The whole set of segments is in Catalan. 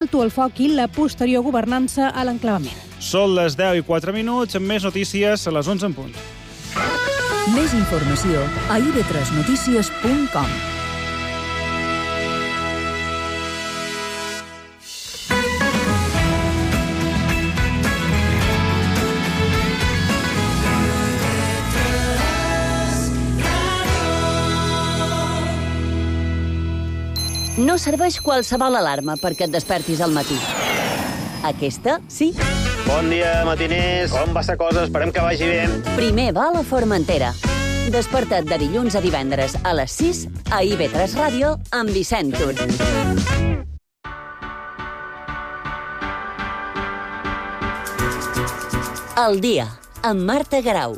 l'alto el foc i la posterior governança a l'enclavament. Són les 10:04, amb més notícies a les 11 en punt. Més informació a ib3notícies.com. No serveix qualsevol alarma perquè et despertis al matí. Aquesta, sí. Bon dia, matiners. Com va la cosa? Esperem que vagi bé. Primer va a la Formentera. Desperta't de dilluns a divendres a les 6 a IB3 Ràdio amb Vicent Tur. El dia, amb Marta Garau.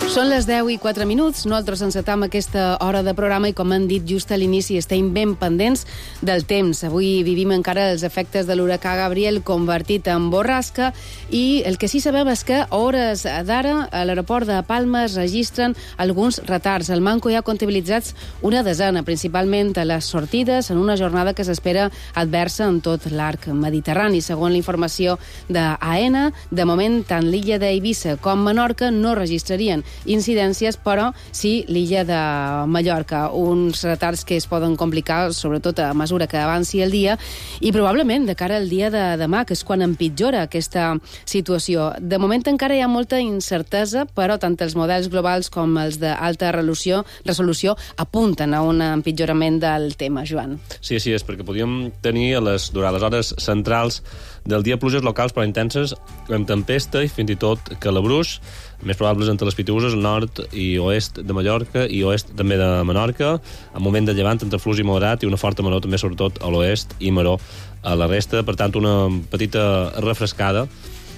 Són les 10:04. Nosaltres encetam aquesta hora de programa i, com han dit just a l'inici, estem ben pendents del temps. Avui vivim encara els efectes de l'huracà Gabriel convertit en borrasca i el que sí sabem és que a hores d'ara a l'aeroport de Palma es registren alguns retards. Al Manco hi ha comptabilitzats una desena, principalment a les sortides, en una jornada que s'espera adversa en tot l'arc mediterrani. Segons la informació d'AENA, de moment tant l'illa d'Eivissa com Menorca no registrarien incidències, però sí l'illa de Mallorca. Uns retards que es poden complicar, sobretot a mesura que avanci el dia, i probablement de cara al dia de demà, que és quan empitjora aquesta situació. De moment encara hi ha molta incertesa, però tant els models globals com els d'alta resolució apunten a un empitjorament del tema, Joan. Sí, és perquè podíem tenir durant les hores centrals del dia pluges locals però intenses, amb tempesta i fins i tot calabruix, més probables entre les Pitiüses, nord i oest de Mallorca i oest també de Menorca, amb moment de llevant entre flux i moderat i una forta maror també sobretot a l'oest i maror a la resta. Per tant, una petita refrescada,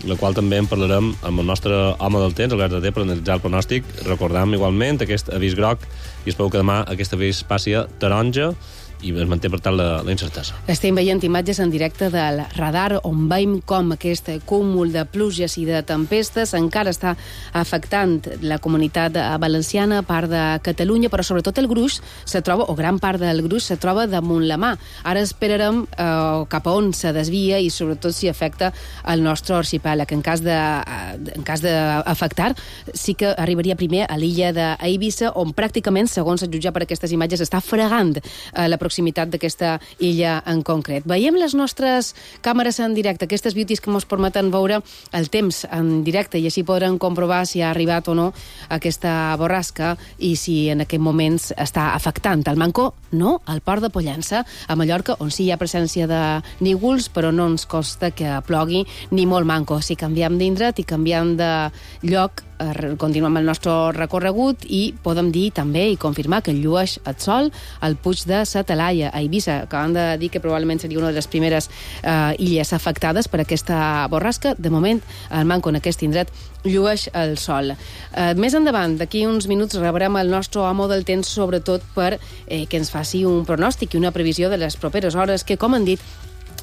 la qual també en parlarem amb el nostre home del temps, Albert Darder, per analitzar el pronòstic. Recordam igualment aquest avís groc i espero que demà aquest avís passi a taronja i es manté, per tant, la incertesa. Estem veient imatges en directe del radar on veiem com aquest cúmul de pluges i de tempestes encara està afectant la comunitat valenciana, part de Catalunya, però sobretot el gruix se troba, o gran part del gruix se troba damunt la mà. Ara esperarem cap a on se desvia i sobretot si afecta el nostre arxipèlag. En cas d'afectar, sí que arribaria primer a l'illa d'Eivissa, on pràcticament, segons es jutjar per aquestes imatges, està fregant la proximitat d'aquesta illa en concret. Veiem les nostres càmeres en directe, aquestes beauties que ens permeten veure el temps en directe i així podran comprovar si ha arribat o no aquesta borrasca i si en aquest moment està afectant. Al Manco, no, al port de Pollença, a Mallorca, on sí hi ha presència de nígols, però no ens costa que plogui ni molt manco. Si canviem d'indret i canviem de lloc, continuem el nostre recorregut i podem dir també i confirmar que llueix el sol al Puig de sa Talaia, a Eivissa, que han de dir que probablement seria una de les primeres illes afectades per aquesta borrasca. De moment, al Manco, en aquest indret, llueix el sol. Més endavant, d'aquí uns minuts, rebrem el nostre home del temps, sobretot per que ens faci un pronòstic i una previsió de les properes hores que, com han dit,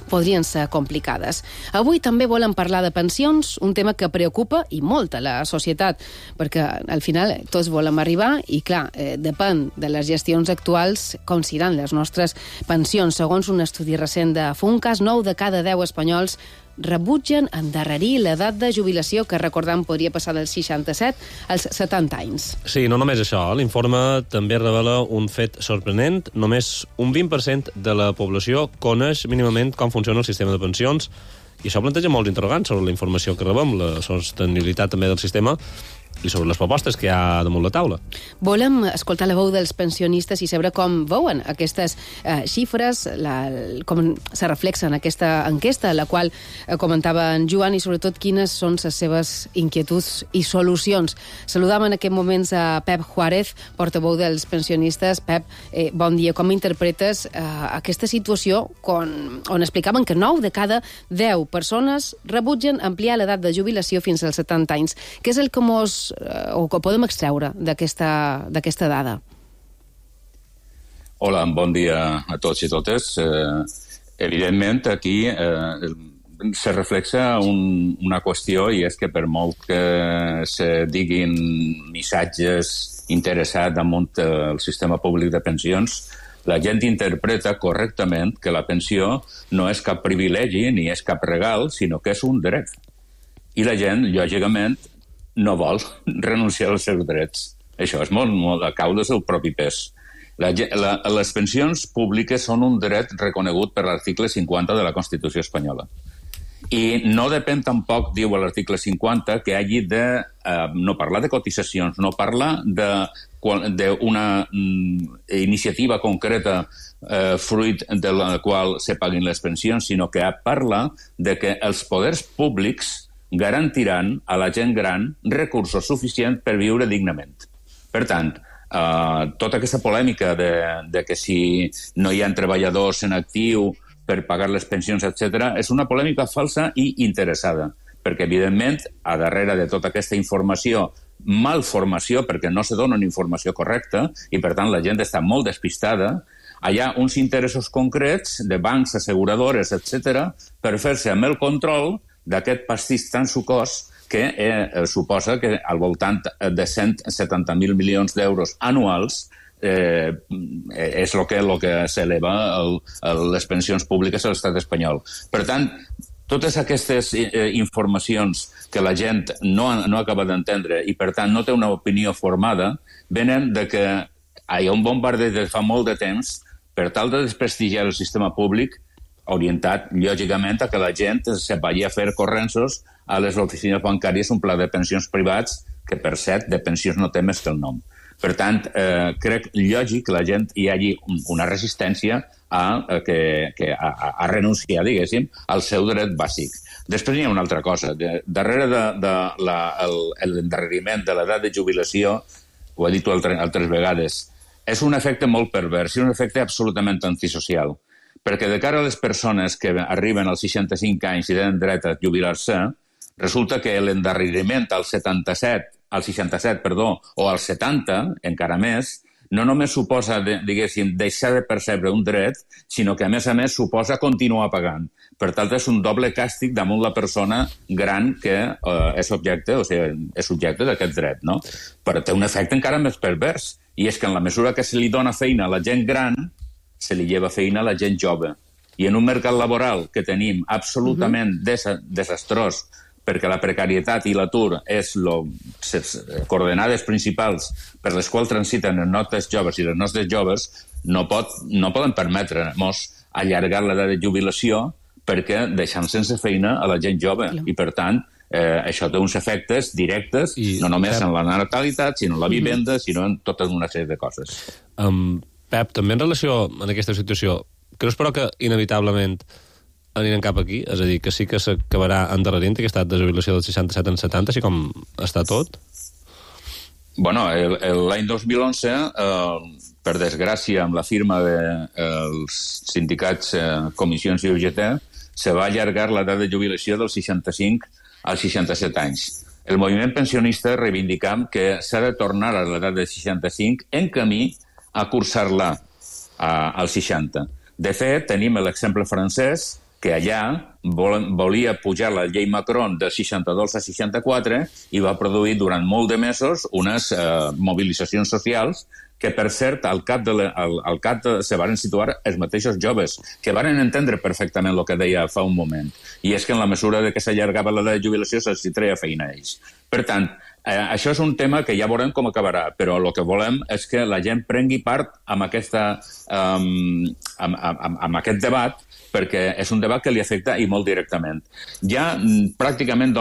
podrien ser complicades. Avui també volem parlar de pensions, un tema que preocupa i molt a la societat, perquè al final tots volem arribar i, clar, depèn de les gestions actuals com seran les nostres pensions. Segons un estudi recent de Funcas, 9 de cada 10 espanyols rebutgen endarrerir l'edat de jubilació, que recordam podria passar dels 67 als 70 anys. Sí, no només això. L'informe també revela un fet sorprenent. Només un 20% de la població coneix mínimament com funciona el sistema de pensions i això planteja molts interrogants sobre la informació que rebem, la sostenibilitat també del sistema i sobre les propostes que hi ha damunt la taula. Volem escoltar la veu dels pensionistes i saber com veuen aquestes xifres, com se reflexa en aquesta enquesta, la qual comentava en Joan, i sobretot quines són les seves inquietuds i solucions. Saludam en aquest moments a Pep Juárez, portaveu dels pensionistes. Pep, bon dia. Com interpretes aquesta situació on explicaven que 9 de cada 10 persones rebutgen ampliar l'edat de jubilació fins als 70 anys? Què és el que que podem extreure d'aquesta dada? Hola, bon dia a tots i totes. Evidentment, aquí se reflexa una qüestió, i és que per molt que se diguin missatges interessat damunt el sistema públic de pensions, la gent interpreta correctament que la pensió no és cap privilegi ni és cap regal, sinó que és un dret. I la gent, lògicament, no vol renunciar als seus drets. Això és molt a cau del seu propi pes. Les pensions públiques són un dret reconegut per l'article 50 de la Constitució espanyola. I no depèn tampoc, diu l'article 50, que hagi de no parlar de cotitzacions, no parlar d'una iniciativa concreta fruit de la qual se paguin les pensions, sinó que parla de que els poders públics garantiran a la gent gran recursos suficients per viure dignament. Per tant, tota aquesta polèmica de que si no hi ha treballadors en actiu per pagar les pensions, etc., és una polèmica falsa i interessada, perquè, evidentment, a darrere de tota aquesta informació, malformació, perquè no se dona una informació correcta, i, per tant, la gent està molt despistada, hi ha uns interessos concrets de bancs, asseguradores, etc., per fer-se amb el control d'aquest pastís tan sucós que suposa que al voltant de 170.000 milions d'euros anuals és el que s'eleva les pensions públiques a l'estat espanyol. Per tant, totes aquestes informacions que la gent no acaba d'entendre i, per tant, no té una opinió formada, venen de que hi ha un bombardeig de fa molt de temps per tal de desprestigiar el sistema públic, orientat, lògicament, a que la gent se vagi a fer correnços a les oficines bancàries un pla de pensions privats que, per cert, de pensions no té més que el nom. Per tant, crec lògic que la gent hi hagi una resistència a renunciar, diguéssim, al seu dret bàsic. Després hi ha una altra cosa. Darrere de l'endarreriment de l'edat de jubilació, ho he dit altres vegades, és un efecte molt pervers i un efecte absolutament antisocial. Perquè de cara a les persones que arriben als 65 anys i tenen dret a jubilar-se, resulta que l'endarreriment als 67, o als 70, encara més, no només suposa, diguéssim, deixar de percebre un dret, sinó que, a més, suposa continuar pagant. Per tant, és un doble càstig damunt la persona gran que és subjecte d'aquest dret, no? Però té un efecte encara més pervers, i és que en la mesura que se li dona feina a la gent gran, se li lleva feina a la gent jove. I en un mercat laboral que tenim absolutament desastrós, perquè la precarietat i l'atur és les coordenades principals per les quals transiten els nostres joves i les nostres joves, no poden permetre-nos allargar l'edat de jubilació perquè deixem sense feina a la gent jove. I, per tant, això té uns efectes directes, no només en la natalitat, sinó en la vivenda, sinó en tota una sèrie de coses. Pep, també en relació a aquesta situació, creus però que inevitablement anirem cap aquí? És a dir, que sí que s'acabarà endarrerint aquesta edat de jubilació del 67 en 70, així com està tot? Bueno, l'any 2011, per desgràcia, amb la firma dels sindicats Comissions i UGT, se va allargar l'edat de jubilació dels 65 als 67 anys. El moviment pensionista reivindicam que s'ha de tornar a l'edat de 65 en camí a cursar-la als 60. De fet, tenim l'exemple francès, que allà volia pujar la llei Macron de 62 a 64 i va produir durant molt de mesos unes mobilitzacions socials que, per cert, al cap se van situar els mateixos joves, que van entendre perfectament el que deia fa un moment. I és que en la mesura que s'allargava l'edat de jubilació se'ls treia feina a ells. Per tant, això és un tema que ja veurem com acabarà, però el que volem és que la gent prengui part amb aquest debat, perquè és un debat que li afecta i molt directament. Ja pràcticament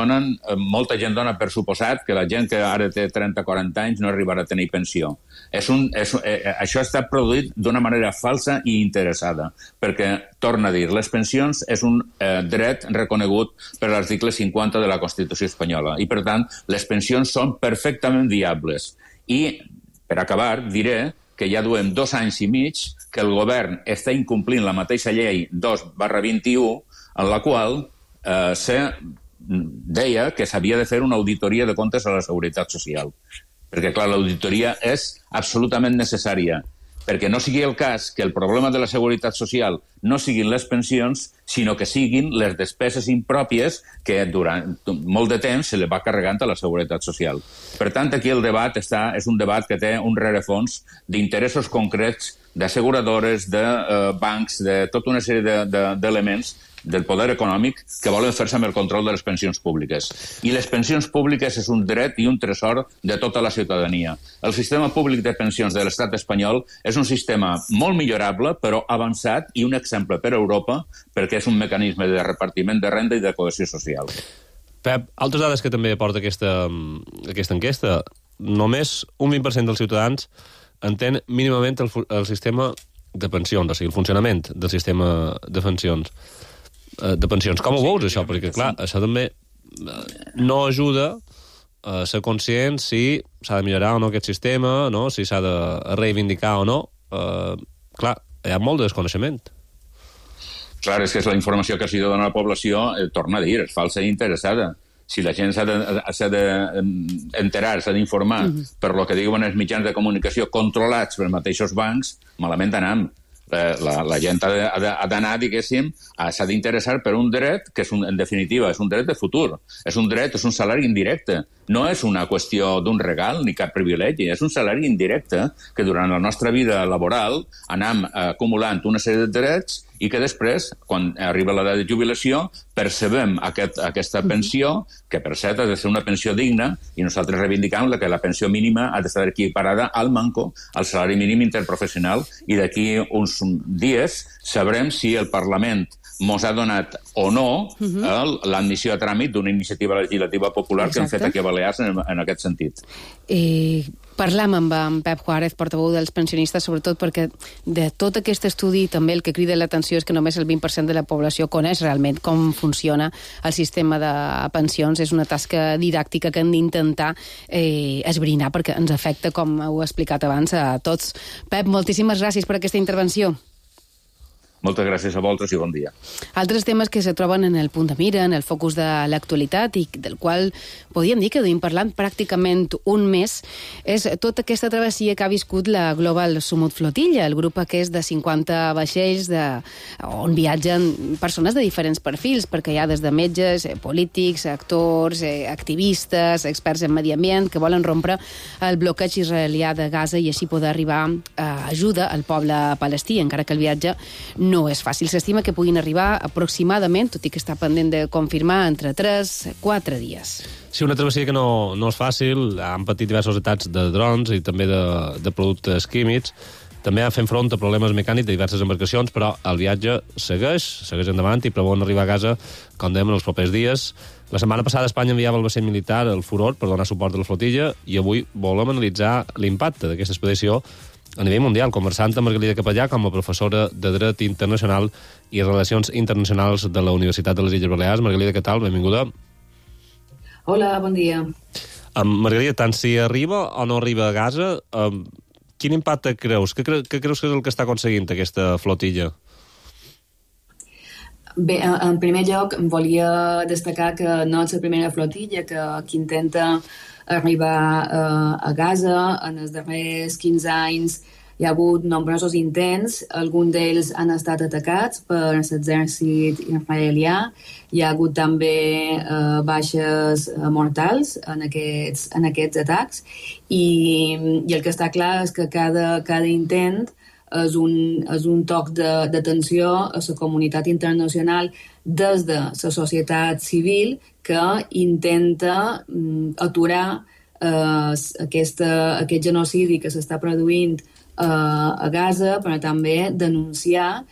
molta gent dona per suposat que la gent que ara té 30-40 anys no arribarà a tenir pensió. Això està produït d'una manera falsa i interessada, perquè, torna a dir, les pensions és un dret reconegut per l'article 50 de la Constitució espanyola i, per tant, les pensions són perfectament viables. I, per acabar, diré que ja duem 2 anys i mig que el govern està incomplint la mateixa llei 2/21, en la qual se deia que s'havia de fer una auditoria de comptes a la Seguretat Social. Perquè, clar, l'auditoria és absolutament necessària. perquè no sigui el cas que el problema de la seguretat social no siguin les pensions, sinó que siguin les despeses impròpies que durant molt de temps se li va carregant a la seguretat social. Per tant, aquí el debat és un debat que té un rerefons d'interessos concrets d'asseguradores, de bancs, de tota una sèrie d'elements del poder econòmic que volen fer-se amb el control de les pensions públiques. I les pensions públiques és un dret i un tresor de tota la ciutadania. El sistema públic de pensions de l'estat espanyol és un sistema molt millorable, però avançat i un exemple per a Europa, perquè és un mecanisme de repartiment de renda i de cohesió social. Pep, altres dades que també aporta aquesta enquesta. Només un 20% dels ciutadans entén mínimament el sistema de pensions, o sigui, el funcionament del sistema de pensions. Com ho veus, això? Perquè, clar, això també no ajuda a ser conscient si s'ha de millorar o no aquest sistema, no? Si s'ha de reivindicar o no. Clar, hi ha molt de desconeixement. Clar, és que és la informació que s'hi dona a la població, torna a dir, és falsa i interessada. Si la gent s'ha d'enterar, s'ha d'informar per lo que diuen els mitjans de comunicació controlats pels mateixos bancs, malament anem. La gent ha d'anar, diguéssim, s'ha d'interessar per un dret que, en definitiva, és un dret de futur. És un dret, és un salari indirecte. No és una qüestió d'un regal ni cap privilegi, és un salari indirecte que durant la nostra vida laboral anem acumulant una sèrie de drets i que després, quan arriba l'edat de jubilació, percebem aquesta pensió, que per cert ha de ser una pensió digna, i nosaltres reivindicam que la pensió mínima ha d'estar equiparada al manco, al salari mínim interprofessional, i d'aquí uns dies sabrem si el Parlament mos ha donat o no l'admissió a tràmit d'una iniciativa legislativa popular que hem fet aquí a Balears en aquest sentit. Parlam amb en Pep Juárez, portaveu dels pensionistes, sobretot perquè de tot aquest estudi també el que crida l'atenció és que només el 20% de la població coneix realment com funciona el sistema de pensions. És una tasca didàctica que hem d'intentar esbrinar perquè ens afecta, com heu explicat abans, a tots. Pep, moltíssimes gràcies per aquesta intervenció. Moltes gràcies a vosaltres i bon dia. Altres temes que se troben en el punt de mira, en el focus de l'actualitat i del qual podríem dir que duim parlant pràcticament un mes, és tota aquesta travessia que ha viscut la Global Sumut Flotilla, el grup aquest de 50 vaixells on viatgen persones de diferents perfils, perquè hi ha des de metges, polítics, actors, activistes, experts en medi ambient, que volen rompre el bloqueig israelià de Gaza i així poder arribar a ajuda al poble palestí, encara que el viatge no és fàcil. S'estima que puguin arribar aproximadament, tot i que està pendent de confirmar, entre 3-4 dies. Sí, una travessia que no és fàcil. Han patit diversos atacs de drons i també de productes químics. També han fet front a problemes mecànics de diverses embarcacions, però el viatge segueix endavant i preveuen arribar a casa, com dèiem, en els propers dies. La setmana passada Espanya enviava el vaixell militar, el Furor, per donar suport a la flotilla, i avui volem analitzar l'impacte d'aquesta expedició a nivell mundial, conversant amb Margalida Capellà com a professora de Dret Internacional i Relacions Internacionals de la Universitat de les Illes Balears. Margalida, què tal? Benvinguda. Hola, bon dia. Margalida, tant si arriba o no arriba a Gaza, quin impacte creus? Què creus que és el que està aconseguint aquesta flotilla? Bé, en primer lloc, volia destacar que no és la primera flotilla que intenta arribar a Gaza. En els darrers 15 anys hi ha hagut nombrosos intents, alguns d'ells han estat atacats per l'exèrcit israelià. Hi ha hagut també baixes mortals en aquests atacs i el que està clar és que cada intent és un toc d'atenció a la comunitat internacional des de la societat civil que intenta aturar aquest genocidi que s'està produint a Gaza, però també denunciar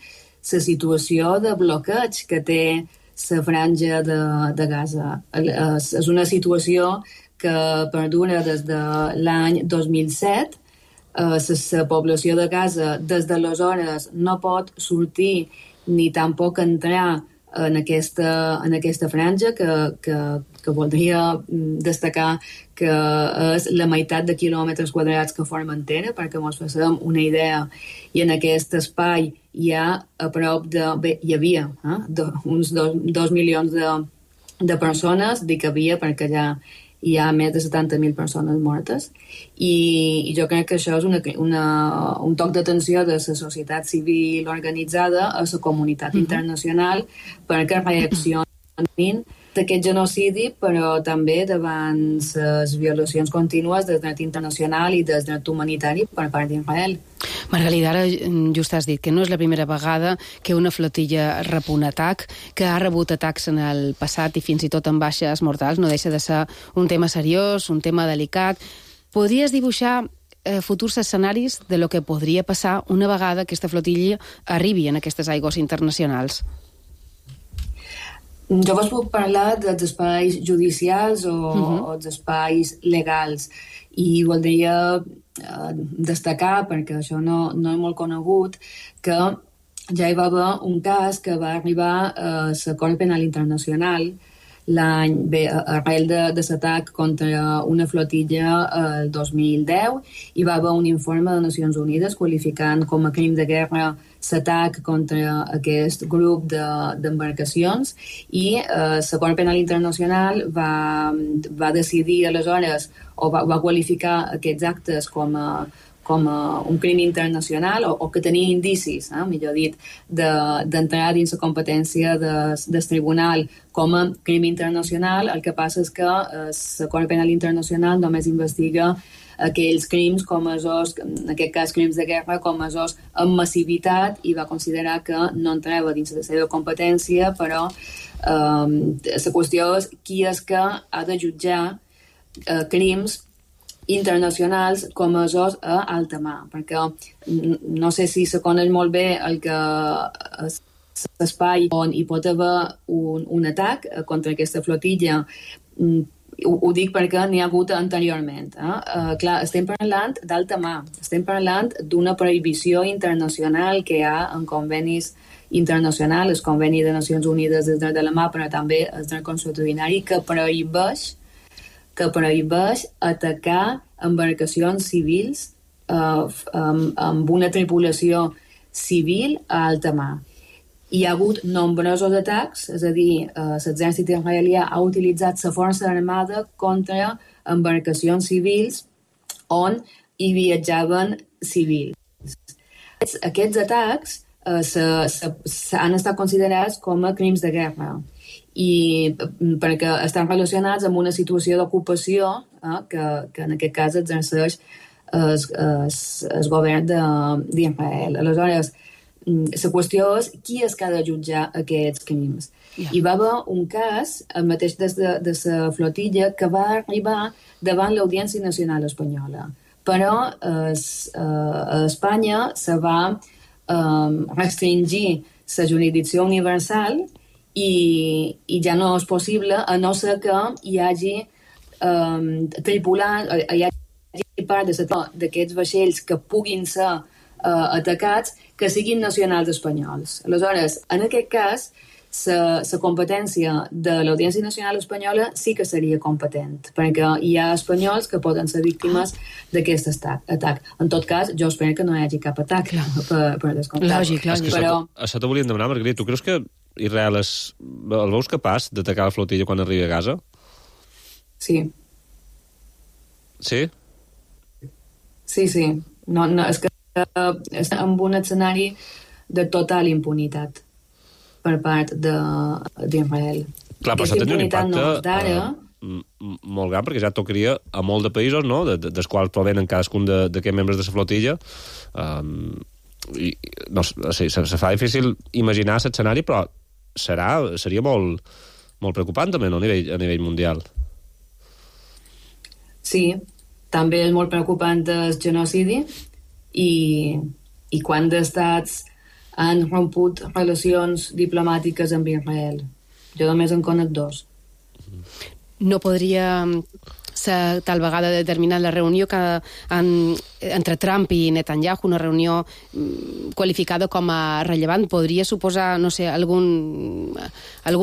la situació de bloqueig que té la franja de Gaza. És una situació que perdura des de l'any 2007. La població de Gaza des d'aleshores no pot sortir ni tampoc entrar en aquesta franja que voldria destacar que és la meitat de quilòmetres quadrats que formen terra, perquè ens facem una idea. I en aquest espai hi ha a prop hi havia uns 2 milions de persones, dic havia perquè ja hi ha més de 70.000 persones mortes, i jo crec que això és un toc d'atenció de la societat civil organitzada a la comunitat internacional perquè reaccionin d'aquest genocidi, però també davant les violacions contínues del dret internacional i del dret humanitari per part d'Israel. Margalida, ara just has dit que no és la primera vegada que una flotilla rep un atac, que ha rebut atacs en el passat i fins i tot amb baixes mortals. No deixa de ser un tema seriós, un tema delicat. Podries dibuixar futurs escenaris de lo que podria passar una vegada aquesta flotilla arribi en aquestes aigües internacionals? Jo vos puc parlar dels espais judicials o dels espais legals, i voldria destacar, perquè això no és molt conegut, que ja hi va haver un cas que va arribar a la Cort Penal Internacional arrel de l'atac contra una flotilla el 2010, hi va haver un informe de Nacions Unides qualificant com a crim de guerra l'atac contra aquest grup d'embarcacions, i la Cort Penal Internacional va decidir aleshores, o va qualificar aquests actes com a un crim internacional, o que tenia indicis, millor dit, d'entrar dins la competència del tribunal com a crim internacional. El que passa és que la Cort Penal Internacional només investiga aquells crims en aquest cas crims de guerra, amb massivitat, i va considerar que no entrava dins la seva competència, però la qüestió és qui és que ha de jutjar crims internacionals comesos a alta mar, perquè no sé si se coneix molt bé el que l'espai on hi pot haver un atac contra aquesta flotilla. Ho dic perquè n'hi ha hagut anteriorment. Clar, estem parlant d'alta mar, estem parlant d'una prohibició internacional que hi ha en convenis internacionals, el Conveni de Nacions Unides del dret de la mar, però també el dret consuetudinari, que prohibeix atacar embarcacions civils amb una tripulació civil a alta mar. Hi ha hagut nombrosos atacs, és a dir, l'exèrcit israelià ha utilitzat la força armada contra embarcacions civils on hi viatjaven civils. Aquests atacs han estat considerats com a crims de guerra, i perquè estan relacionats amb una situació d'ocupació que en aquest cas exerceix el govern d'Israel. Aleshores, la qüestió és qui és que ha de jutjar aquests crims. Hi va haver un cas, el mateix de la flotilla, que va arribar davant l'Audiència Nacional Espanyola, però a Espanya se va restringir la jurisdicció universal i ja no és possible, a no ser que hi hagi tripulants, hi hagi part d'aquests vaixells que puguin ser atacats, que siguin nacionals espanyols. Aleshores, en aquest cas, la competència de l'Audiència Nacional Espanyola sí que seria competent, perquè hi ha espanyols que poden ser víctimes d'aquest atac. En tot cas, jo espero que no hi hagi cap atac per descomptat. Lògic. Però... Això t'ho volíem demanar, Margarida. Tu creus que Israel el veus capaç d'atacar la flotilla quan arribi a Gaza? Sí. Sí? Sí. No, és que està en un escenari de total impunitat per part d'Israel. Clar, però això tenia un impacte molt gran, perquè ja tocaria a molt de països, no?, dels quals provenen cadascun d'aquests membres de la flotilla. Se fa difícil imaginar l'escenari, però seria molt preocupant també, no?, a nivell mundial. Sí, també és molt preocupant el genocidi, i quants estats han romput relacions diplomàtiques amb Israel. Jo només en conec 2. No podria ser tal vegada determinant la reunió entre Trump i Netanyahu, una reunió qualificada com a rellevant, podria suposar, no sé, algun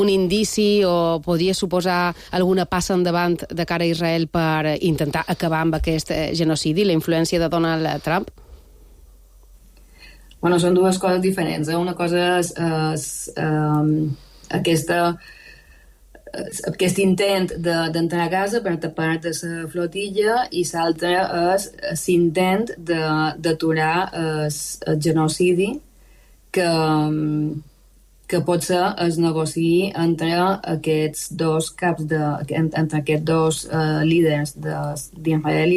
indici, o podria suposar alguna passa endavant de cara a Israel per intentar acabar amb aquest genocidi, la influència de Donald Trump? Bueno, són dues coses diferents. Una cosa és aquesta aquest intent d'entrar a Gaza per tapar de la flotilla i l'altre és l'intent d'aturar el genocidi que potser es negociï entre aquests dos caps entre aquests dos líders d'Israel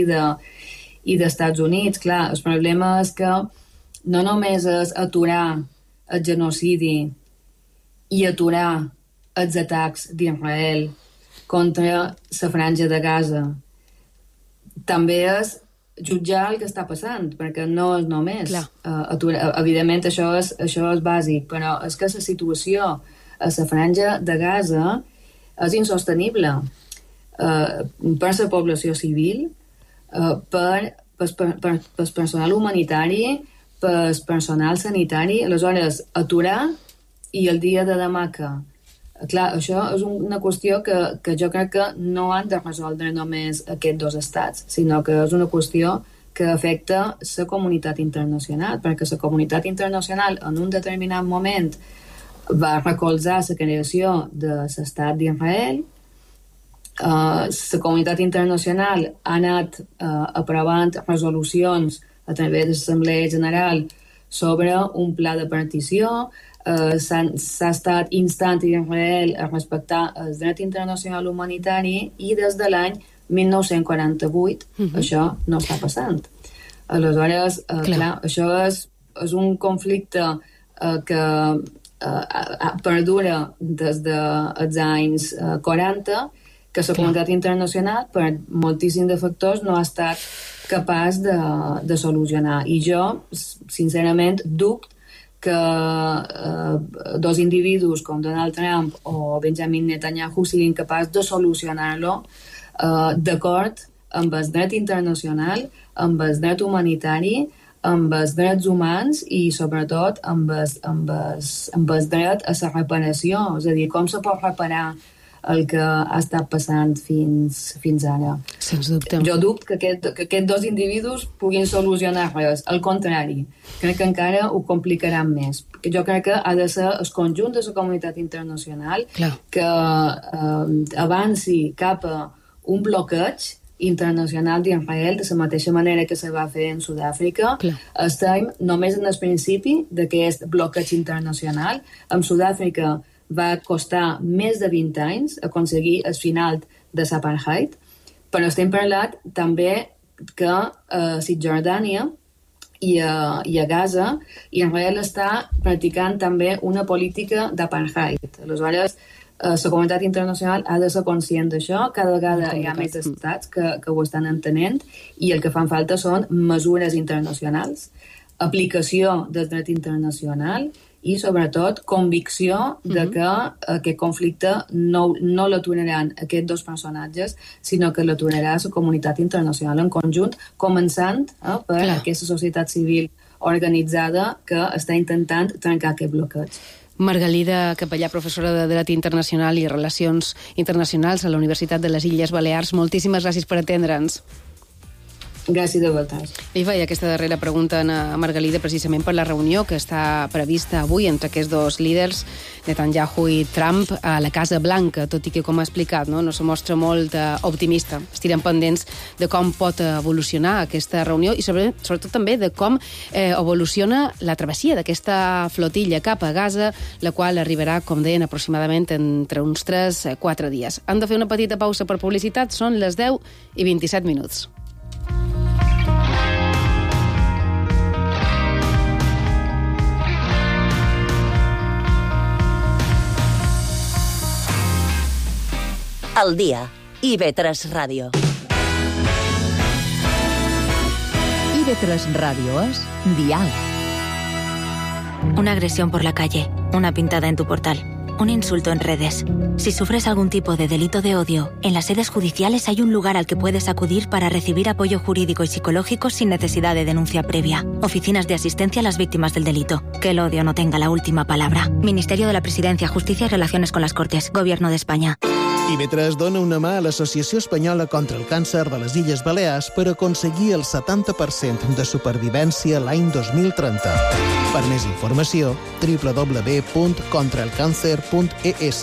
i d'Estats Units. Clar, el problema és que no només és aturar el genocidi i aturar els atacs d'Israel contra la franja de Gaza. També és jutjar el que està passant, perquè no és només aturar. Evidentment, això és bàsic, però és que la situació a la franja de Gaza és insostenible per la població civil, per personal humanitari, per personal sanitari. Aleshores, aturar i el dia de demà que... Clar, això és una qüestió que jo crec que no han de resoldre només aquests dos estats, sinó que és una qüestió que afecta la comunitat internacional, perquè la comunitat internacional en un determinat moment va recolzar la creació de l'estat d'Israel. La comunitat internacional ha anat aprovant resolucions a través de l'Assemblea General sobre un pla de partició. S'ha estat instant Israel a respectar el dret internacional humanitari i des de l'any 1948 això no està passant. Aleshores, clar, això és un conflicte que perdura des dels anys 40, que la comunitat internacional, per moltíssims de factors, no ha estat capaç de solucionar. I jo, sincerament, dubto que dos individus com Donald Trump o Benjamin Netanyahu siguin capaços de solucionar-lo d'acord amb el dret internacional, amb el dret humanitari, amb els drets humans i, sobretot, amb el dret a la reparació. És a dir, com se pot reparar el que ha estat passant fins ara. Sens dubte. Jo dubto que aquests dos individus puguin solucionar res. Al contrari, crec que encara ho complicaran més. Jo crec que ha de ser el conjunt de la comunitat internacional que avanci cap a un bloqueig internacional d'Israel, de la mateixa manera que se va fer en Sud-àfrica. Estem només en el principi d'aquest bloqueig internacional. En Sud-àfrica va costar més de 20 anys aconseguir el final de l'apartheid, però estem parlant també que a Cisjordània i a Gaza Israel està practicant també una política d'apartheid. Aleshores, la comunitat internacional ha de ser conscient d'això. Cada vegada hi ha més estats que ho estan entenent i el que fan falta són mesures internacionals, aplicació del dret internacional i, sobretot, convicció de que aquest conflicte no l'aturaran aquests dos personatges, sinó que l'aturarà la comunitat internacional en conjunt, començant per aquesta societat civil organitzada que està intentant trencar aquest bloqueig. Margalida Capellà, professora de Dret Internacional i Relacions Internacionals a la Universitat de les Illes Balears, moltíssimes gràcies per atendre'ns. Gràcies a vosaltres. Li feia aquesta darrera pregunta a Margalida precisament per la reunió que està prevista avui entre aquests dos líders, Netanyahu i Trump, a la Casa Blanca, tot i que, com ha explicat, no se mostra molt optimista. Estirem pendents de com pot evolucionar aquesta reunió i sobretot també de com evoluciona la travessia d'aquesta flotilla cap a Gaza, la qual arribarà, com deien, aproximadament entre uns 3-4 dies. Han de fer una petita pausa per publicitat, són les 10:27. Al día, IB3 Radio. IB3 Radio es Dial. Una agresión por la calle, una pintada en tu portal, un insulto en redes. Si sufres algún tipo de delito de odio, en las sedes judiciales hay un lugar al que puedes acudir para recibir apoyo jurídico y psicológico sin necesidad de denuncia previa. Oficinas de asistencia a las víctimas del delito. Que el odio no tenga la última palabra. Ministerio de la Presidencia, Justicia y Relaciones con las Cortes. Gobierno de España. IB3 dona una mà a l'Associació Espanyola contra el Càncer de les Illes Balears per aconseguir el 70% de supervivència l'any 2030. Per més informació, www.contraelcàncer.es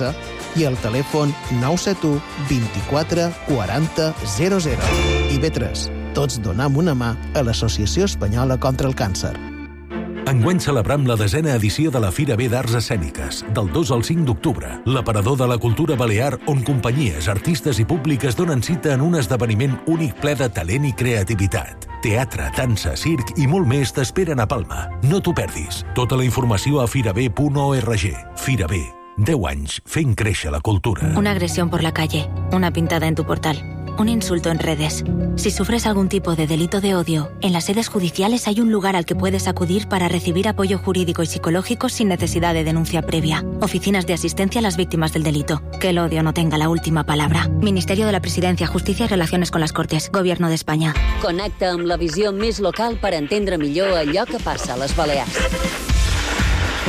i al telèfon 971 24 40 00. IB3. Tots donam una mà a l'Associació Espanyola contra el Càncer. Enguany celebram la 10a edició de la Fira B d'Arts Escèniques, del 2 al 5 d'octubre, l'aparador de la cultura balear on companyies, artistes i públiques donen cita en un esdeveniment únic ple de talent i creativitat. Teatre, dansa, circ i molt més t'esperen a Palma. No t'ho perdis. Tota la informació a firab.org. Fira B. 10 anys fent créixer la cultura. Una agresión por la calle, una pintada en tu portal, un insulto en redes. Si sufres algún tipo de delito de odio, en las sedes judiciales hay un lugar al que puedes acudir para recibir apoyo jurídico y psicológico sin necesidad de denuncia previa. Oficinas de asistencia a las víctimas del delito. Que el odio no tenga la última palabra. Ministerio de la Presidencia, Justicia y Relaciones con las Cortes. Gobierno de España. Connecta amb la visió més local per entendre millor allò que passa a les Balears.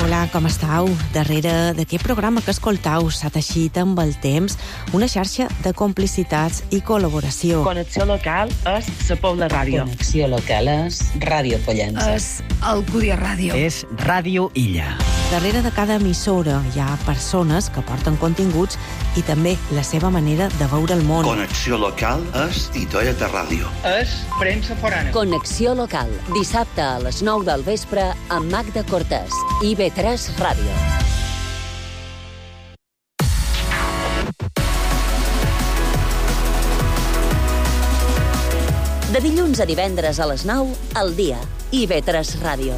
Hola, com estàu? Darrere d'aquest programa que escoltau s'ha teixit amb el temps una xarxa de complicitats i col·laboració. Connexió local és la Pobla Ràdio. Connexió local és Ràdio Pollença. És Alcúdia Ràdio. És Ràdio Illa. Darrere de cada emissora hi ha persones que porten continguts i també la seva manera de veure el món. Connexió local és Itoia de Ràdio. És premsa forana. Connexió local, dissabte a les 9 del vespre amb Magda Cortés. IB3 Ràdio. De dilluns a divendres a les 9, al dia. IB3 Ràdio.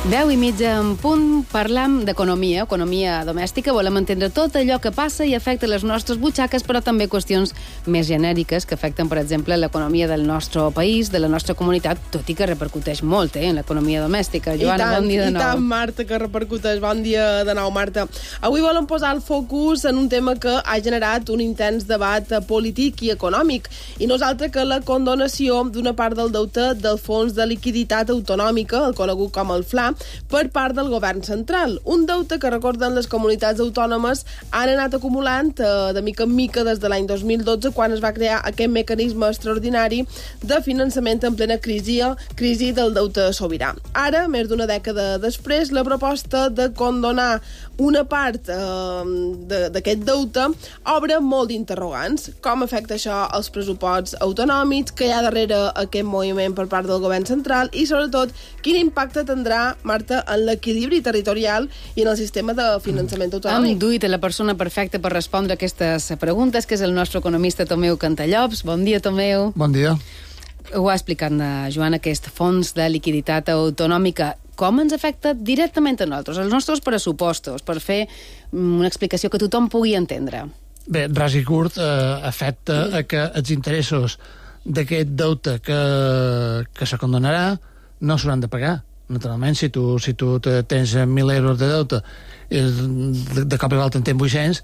Deu i mitja en punt, parlam d'economia, economia domèstica. Volem entendre tot allò que passa i afecta les nostres butxaques, però també qüestions més genèriques que afecten, per exemple, l'economia del nostre país, de la nostra comunitat, tot i que repercuteix molt en l'economia domèstica. Joana, bon dia de nou. I tant, Marta, que repercuteix. Bon dia de nou, Marta. Avui volem posar el focus en un tema que ha generat un intens debat polític i econòmic, i no és altre que la condonació d'una part del deute del Fons de Liquiditat Autonòmica, el conegut com el FLA, per part del govern central. Un deute que, recorden, les comunitats autònomes han anat acumulant de mica en mica des de l'any 2012, quan es va crear aquest mecanisme extraordinari de finançament en plena crisi del deute sobirà. Ara, més d'una dècada després, la proposta de condonar una part d'aquest deute obre molt d'interrogants. Com afecta això als pressuposts autonòmics, que hi ha darrere aquest moviment per part del govern central i, sobretot, quin impacte tindrà, Marta, en l'equilibri territorial i en el sistema de finançament autonòmic. Hem duit la persona perfecta per respondre aquestes preguntes, que és el nostre economista Tomeu Cantallops. Bon dia, Tomeu. Bon dia. Ho ha explicat, Joana, aquest fons de liquiditat autonòmica. Com ens afecta directament a nosaltres, als nostres pressupostos, per fer una explicació que tothom pugui entendre? Bé, ras i curt, afecta que els interessos d'aquest deute que se condonarà no s'hauran de pagar. Naturalment, si tu tens 1.000 euros de deute i de cop i volta en tens 800,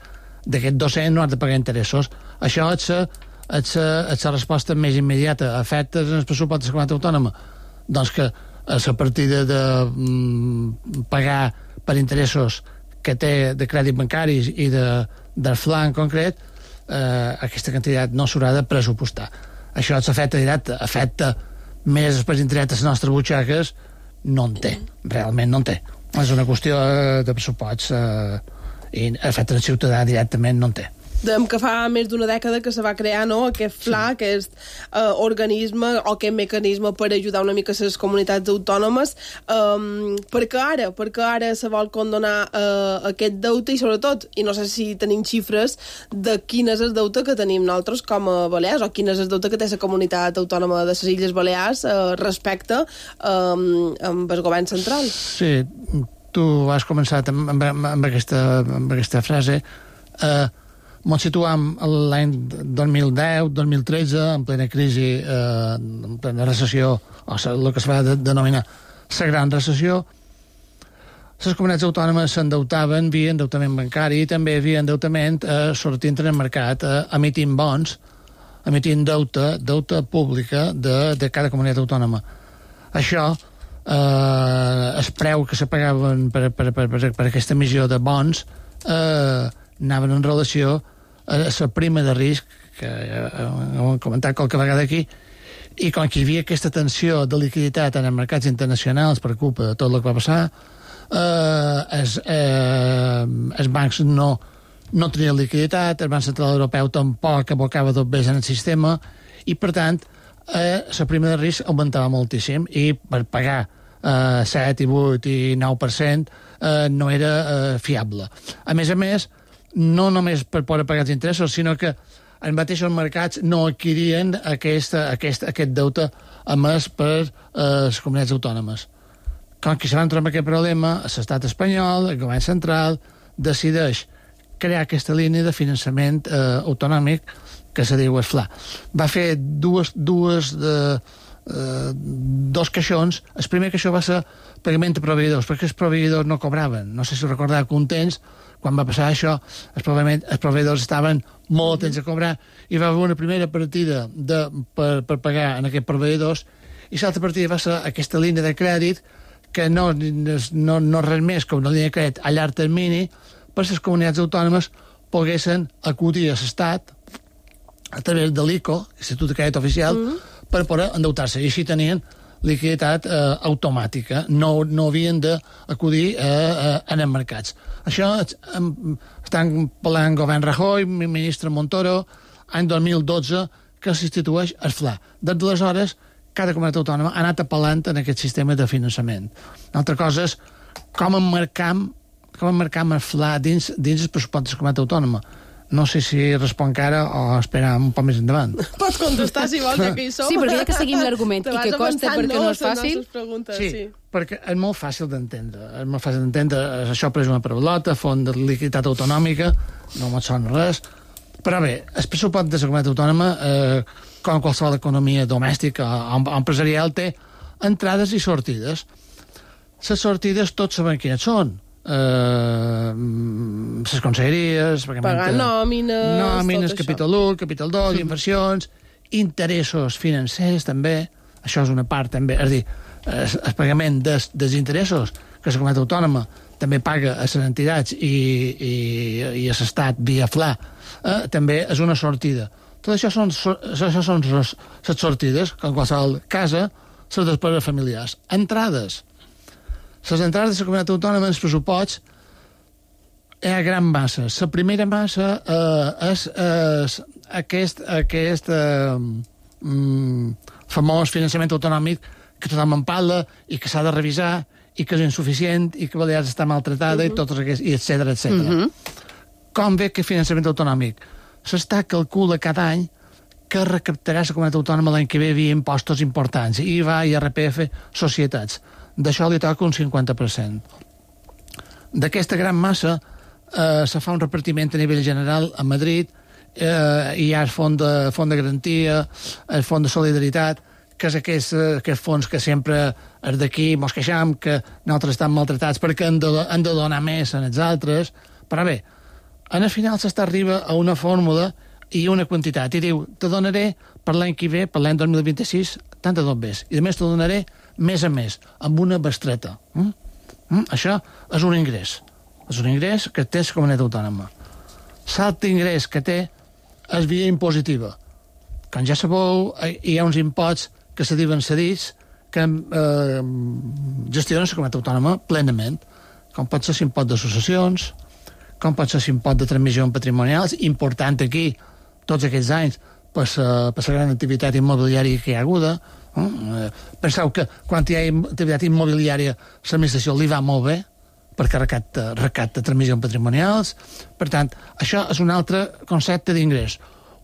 d'aquest 200 no has de pagar interessos. Això és la resposta més immediata. Afectes en el pressupost de la comunitat autònoma? Doncs que a la partida de pagar per interessos que té de crèdit bancaris i del FLA en concret, aquesta quantitat no s'haurà de pressupostar. Això és l'efecte directe. Afecta més després indirectes a les nostres butxaques, no en té, realment no en té. És una qüestió de pressuposts i afecta el ciutadà directament, no en té. Dèiem que fa més d'una dècada que se va crear, no?, aquest FLA, aquest organisme o aquest mecanisme per ajudar una mica les comunitats autònomes. Per què ara se vol condonar aquest deute i, sobretot, i no sé si tenim xifres de quin és el deute que tenim nosaltres com a Balears o quin és el deute que té la comunitat autònoma de les Illes Balears respecte amb el govern central? Sí, tu has començat amb aquesta frase. Ens situam l'any 2010-2013, en plena crisi, en plena recessió, o el que es va denominar la gran recessió. Les comunitats autònomes s'endeutaven via endeutament bancari i també via endeutament sortint en el mercat, emitint bons, emitint deute pública de cada comunitat autònoma. Això, el preu que se pagaven per aquesta emissió de bons anaven en relació a la prima de risc hem comentat qualque vegada aquí, i com que hi havia aquesta tensió de liquiditat en els mercats internacionals per culpa de tot el que va passar, els bancs no tenien liquiditat, el Banc Central Europeu tampoc abocava tot bé en el sistema, i per tant la prima de risc augmentava moltíssim, i per pagar 7, i 8 i 9% no era fiable. A més, no només per poder pagar els interessos, sinó que els mateixos mercats no adquirien aquest deute emès per les comunitats autònomes. Com que se van trobar aquest problema, l'estat espanyol, el govern central, decideix crear aquesta línia de finançament autonòmic que se diu el FLA. Va fer dos caixons. El primer caixó va ser pagament a proveïdors, perquè els proveïdors no cobraven. No sé si recordava que un temps, quan va passar això, els proveïdors estaven molt atents a cobrar, i va haver una primera partida per pagar en aquests proveïdors, i l'altra partida va ser aquesta línia de crèdit, que no res més que una línia de crèdit a llarg termini, per les comunitats autònomes poguessin acudir a l'Estat a través de l'ICO, l'Institut de Crèdit Oficial, per poder endeutar-se, i així tenien liquiditat automàtica, no havien d'acudir a els mercats. Això estan parlant govern Rajoy, ministre Montoro, any 2012, que s'institueix el FLA. Des d'aleshores, cada comunitat autònoma ha anat apel·lant en aquest sistema de finançament. Una altra cosa és com emmarcam el FLA dins el pressupost de la comunitat autònoma. No sé si responc ara o esperar un poc més endavant. Pots contestar si vols, que hi som. Sí, perquè ja que seguim l'argument i que costa perquè no és fàcil. Sí, perquè és molt fàcil d'entendre. Això per una paraulota, font de liquiditat autonòmica, no me'n sona res. Però bé, el pressupost de la comunitat autònoma, com qualsevol economia domèstica o empresarial, té entrades i sortides. Les sortides tots sabem quines són. Les conselleries, pagar nòmines, capítol 1, capítol 2, inversions, interessos financers també, això és una part també, és a dir, el pagament dels interessos que la comunitat autònoma també paga a les entitats i a l'Estat via FLA, també és una sortida. Tot això són les sortides, com qualsevol casa, les despeses familiars. Entrades. Les entrades de la comunitat autònoma en els pressuposts hi ha gran massa. La primera massa és aquest famós finançament autonòmic que tothom en parla i que s'ha de revisar i que és insuficient i que Balears està maltratada i totes aquestes, i etcètera. Com ve aquest finançament autonòmic? L'Estat calcula cada any que recaptarà la comunitat autònoma l'any que ve via impostos importants, IVA, IRPF, societats. D'això li toca un 50%. D'aquesta gran massa se fa un repartiment a nivell general a Madrid, hi ha el fons de garantia, el fons de solidaritat, que és aquests fons que sempre és d'aquí, mos queixam, que nosaltres estem maltratats perquè han de donar més a els altres. Però bé, al final s'arriba a una fórmula i una quantitat, i diu, te donaré per l'any que ve, per l'any 2026, tant de tot més, i a més te donaré més a més, amb una bestreta. Això és un ingrés. És un ingrés que té la comunitat autònoma. L'altre ingrés que té és via impositiva. Com ja sabeu, hi ha uns imposts que se diuen cedits que gestionen la comunitat autònoma plenament, com pot ser l'impost de successions, com pot ser l'impost de transmissions patrimonials, important aquí, tots aquests anys, per la gran activitat immobiliària que hi ha haguda. Penseu que quan hi ha activitat immobiliària l'administració li va molt bé perquè recapta transmissions patrimonials. Per tant, això és un altre concepte d'ingrés.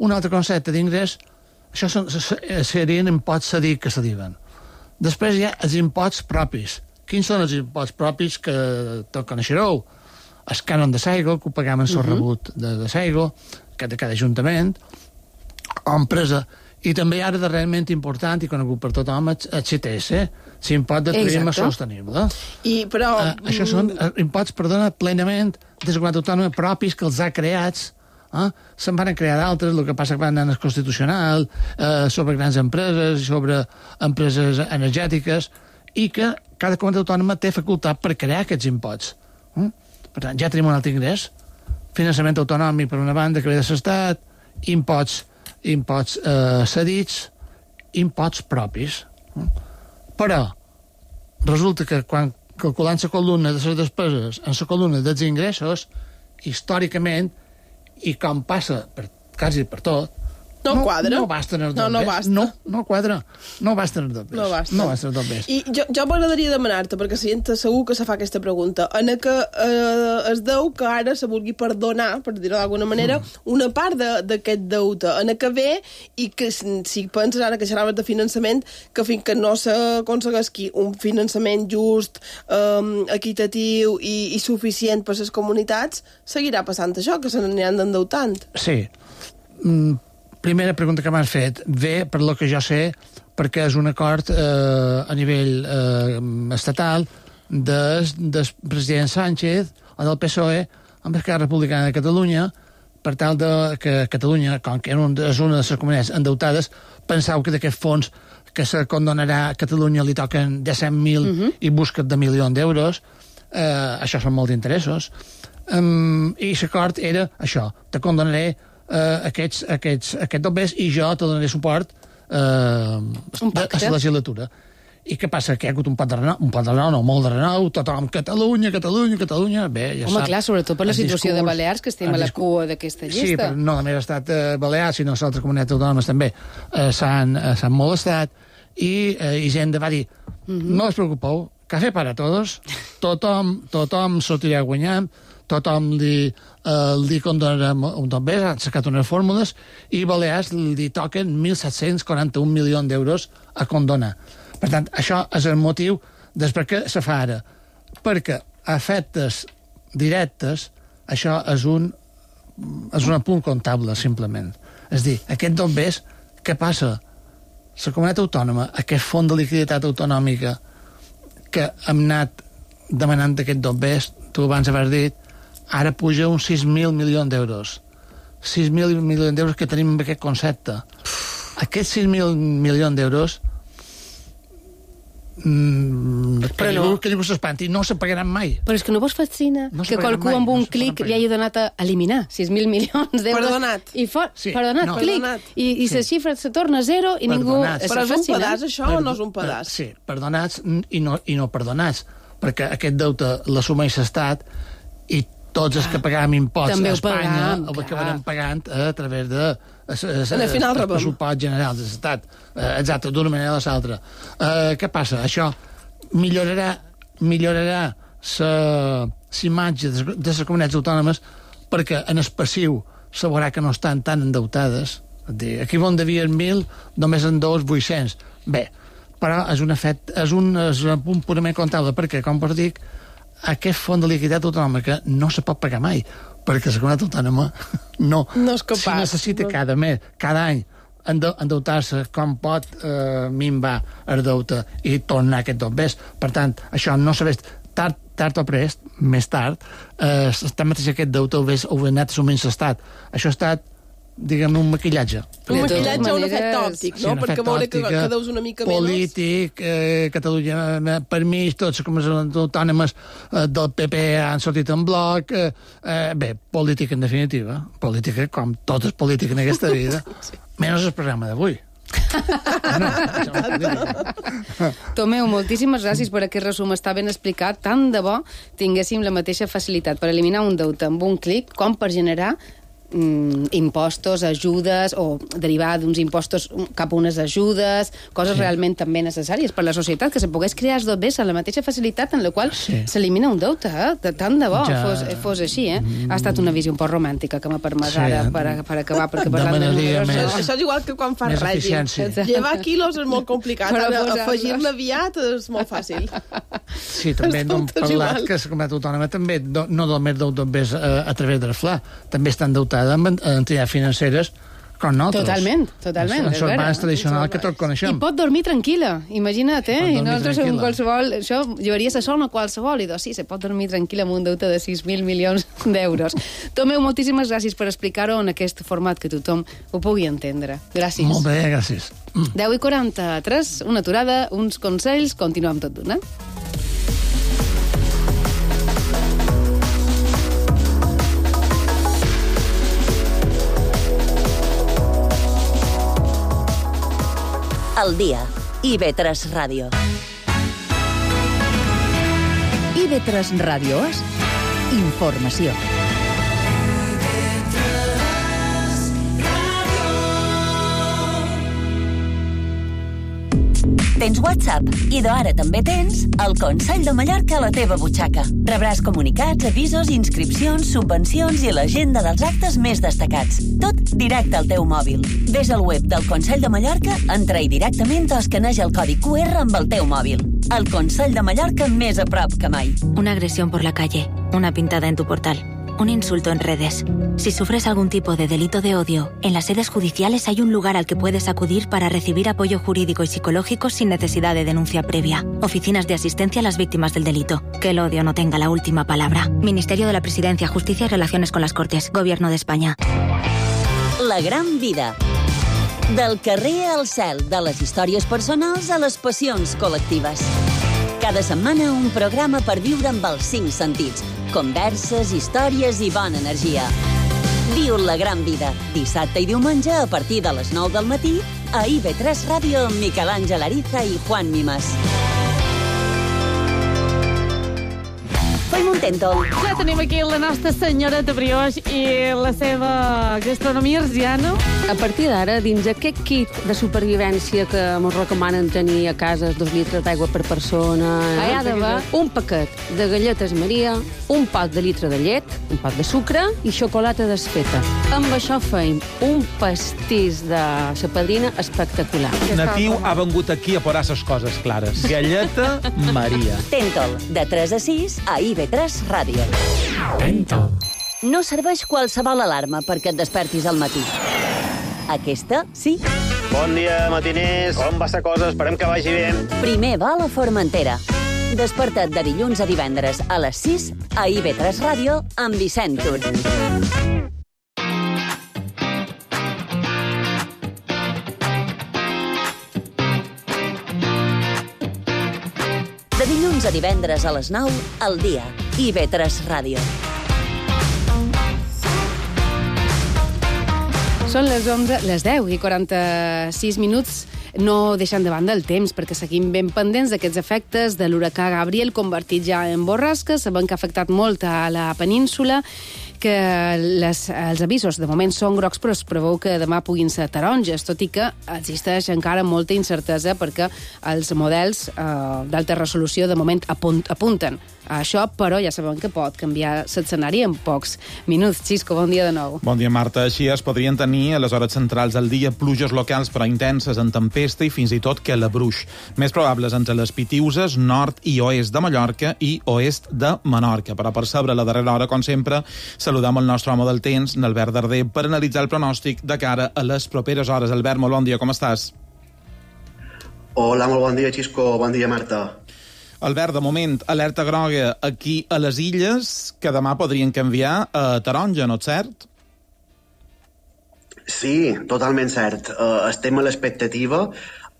Un altre concepte d'ingrés, això serien imposts cedits que se diuen. Després hi ha els imposts propis. Quins són els imposts propis que tots coneixereu? El cànon de l'aigua, que ho pagam en el rebut de l'aigua, de cada ajuntament o empresa. I també ara darrerament important i conegut per tothom el CTS, l'impost de turisme sostenible. Això són imposts, plenament de la comunitat autònoma propis que els ha creats. Se'n van crear d'altres, el que passa que van anar al Constitucional, sobre grans empreses, sobre empreses energètiques, i que cada comunitat autònoma té facultat per crear aquests imposts. Per tant, ja tenim un altre ingrés, finançament autonòmic per una banda que ve de l'Estat, imposts imposts cedits, imposts propis. Però resulta que quan calculant la columna de les despeses en la columna dels ingressos, històricament, i com passa quasi per tot, no quadra. No basta en el dos bes. No quadra. No basta en el dos bes. No basta en el dos bes. I jo m'agradaria demanar-te, perquè la gent segur que se fa aquesta pregunta, en què es deu que ara se vulgui perdonar, per dir-ho d'alguna manera, una part d'aquest deute, en què ve, i que si penses ara que xerraves de finançament, que fins que no s'aconsegueixi un finançament just, equitatiu i suficient per a les comunitats, seguirà passant això, que se n'aniran endeutant. Sí. Primera pregunta que m'has fet ve, per lo que jo sé, perquè és un acord a nivell estatal del president Sánchez o del PSOE amb Esquerra Republicana de Catalunya, per tal que Catalunya, com que és una de les comunitats endeutades, penseu que d'aquest fons que se condonarà a Catalunya li toquen de 100.000 i busquen de milions d'euros. Això són molts interessos. I l'acord era això, te condonaré aquest dobbers i jo te donaré suport a la legislatura. I què passa? Que hi ha hagut un pot de renou, no, molt de renou, tothom, Catalunya, bé, ja Home, sap. clar, sobretot per la situació de Balears, que estem a la cua d'aquesta llista. Sí, però no només ha estat Balears, sinó les altres comunitats autònomes també s'han molestat, i Hisenda va dir, no us preocupeu, café para todos, tothom sortirà guanyant, tothom li condonarem un dobbers, han sacat unes fórmules, i Balears li toquen 1.741 milions d'euros a condonar. Per tant, això és el motiu després que se fa ara. Perquè a efectes directes, això és un apunt comptable, simplement. És dir, aquest dobbers, què passa? La comunitat autònoma, aquest fons de liquiditat autonòmica que hem anat demanant aquest dobbers, tu abans haver dit, ara puja uns 6.000 milions d'euros. 6.000 milions d'euros que tenim amb aquest concepte. Aquests 6.000 milions d'euros que ningú s'espanti, no se pagaran mai. Però és que no vos fascina que qualcú amb un clic li hagi donat a eliminar 6.000 milions d'euros. Perdonat. Perdonat, clic. I la xifra se torna a zero i ningú... Però és un pedaç, això, o no és un pedaç? Sí, perdonats i no perdonats, perquè aquest deute l'assumeix l'Estat i tots els que pagàvem imposts a Espanya el acabarem pagant a través de pressupost general de l'Estat. Exacte, d'una manera o de l'altra. Què passa? Això millorarà l'imatge de les comunitats autònomes perquè en el passiu se veurà que no estan tan endeutades. Aquí on devien 1.000, només en 800. Bé, però és un punt purament comptable perquè, com vos dic, aquest fons de liquiditat autonòmica no se pot pagar mai, perquè la comunitat autònoma no és capaç. Si necessita cada mes, cada any, endeutar-se com pot minvar el deute i tornar aquest dobbers. Per tant, això no s'ha vist tard o prest, més tard, mateix aquest deute ho ha anat assumint l'Estat. Això ha estat, diguem, un maquillatge. Un maquillatge o un efecte òptic, no? Perquè veure que deus una mica menys. Polític, Catalunya per mi, tots les comunitats autònomes del PP han sortit en bloc. Bé, política en definitiva. Política com tot és política en aquesta vida. Menys el programa d'avui. Tomeu, moltíssimes gràcies per aquest resum, està ben explicat. Tant de bo tinguéssim la mateixa facilitat per eliminar un deute amb un clic com per generar impostos, ajudes, o derivar d'uns impostos cap a unes ajudes, coses realment també necessàries per la societat, que se pogués crear els dobbers amb la mateixa facilitat en la qual s'elimina un deute, tant de bo fos així, Ha estat una visió un poc romàntica que m'ha permès ara per acabar, perquè parlant de números... Això és igual que quan fas règim. Llevar quilos és molt complicat, afegir-ne aviat és molt fàcil. Sí, també hem parlat que la comunitat autònoma també no només deu dobbers a través del FLA, també estan endeutats amb entitats financeres com nosaltres. Totalment. En els bancs tradicionals que tots coneixem. I pot dormir tranquil·la, imagina't, I nosaltres en qualsevol... Això llevaries a sol, no qualsevol, i doncs sí, se pot dormir tranquil·la amb un deute de 6.000 milions d'euros. Tomeu, moltíssimes gràcies per explicar-ho en aquest format que tothom ho pugui entendre. Gràcies. Molt bé, gràcies. 10:43, una aturada, uns consells, continuem tot d'una. al dia. IB3 Ràdio. IB3 Ràdio és informació. Tens WhatsApp i d'ara també tens el Consell de Mallorca a la teva butxaca. Rebràs comunicats, avisos, inscripcions, subvencions i l'agenda dels actes més destacats. Tot directe al teu mòbil. Ves al web del Consell de Mallorca, entra-hi directament o escaneja el codi QR amb el teu mòbil. El Consell de Mallorca més a prop que mai. Una agresión por la calle, una pintada en tu portal, un insulto en redes. Si sufres algún tipo de delito de odio, en las sedes judiciales hay un lugar al que puedes acudir para recibir apoyo jurídico y psicológico sin necesidad de denuncia previa. Oficinas de asistencia a las víctimas del delito. Que el odio no tenga la última palabra. Ministerio de la Presidencia, Justicia y Relaciones con las Cortes. Gobierno de España. La gran vida. Del carrer al cel, de les històries personals a les passions col·lectives. Cada setmana un programa per viure amb els 5 sentits. Converses, històries i bona energia. Viu la gran vida. Dissabte i diumenge a partir de les 9 del matí a IB3 Ràdio amb Miquel Àngel Ariza i Juan Mimas. Fem un tèntol. Ja tenim aquí la nostra senyora de brioix i la seva gastronomia arsiana. A partir d'ara, dins aquest kit de supervivència que ens recomanen tenir a casa 2 litres d'aigua per persona, hi ha d'haver un paquet de galletes Maria, un pot de litre de llet, un pot de sucre i xocolata desfeta. Amb això feim un pastís de la padrina espectacular. Natiu ha vengut aquí a posar les coses clares. Galleta Maria. Tèntol, de 3 a 6 a IB3 Ràdio. Tèntol. No serveix qualsevol alarma perquè et despertis al matí. Aquesta, sí. Bon dia, matiners. Com va la cosa? Esperem que vagi bé. Primer vol a Formentera. Desperta't de dilluns a divendres a les 6 a IB3 Ràdio amb Vicent Tur. De dilluns a divendres a les 9 al dia. IB3 Ràdio. Són les 10 i 46 minuts. No deixant de banda el temps, perquè seguim ben pendents d'aquests efectes de l'huracà Gabriel, convertit ja en borrasca. Sabem que ha afectat molt a la península, que els avisos de moment són grocs, però es preveu que demà puguin ser taronges, tot i que existeix encara molta incertesa perquè els models d'alta resolució de moment apunten a això, però ja sabem que pot canviar l'escenari en pocs minuts. Xisco, bon dia de nou. Bon dia, Marta. Així es podrien tenir a les hores centrals del dia pluges locals però intenses en tempesta i fins i tot que la bruix. Més probables entre les Pitiuses, nord i oest de Mallorca i oest de Menorca. Però per saber la darrera hora, com sempre, saludam el nostre home del temps, Albert Darder, per analitzar el pronòstic de cara a les properes hores. Albert, molt bon dia, com estàs? Hola, molt bon dia, Xisco. Bon dia, Marta. Albert, de moment, alerta groga aquí a les Illes, que demà podrien canviar a taronja, no és cert? Sí, totalment cert. Estem a l'expectativa.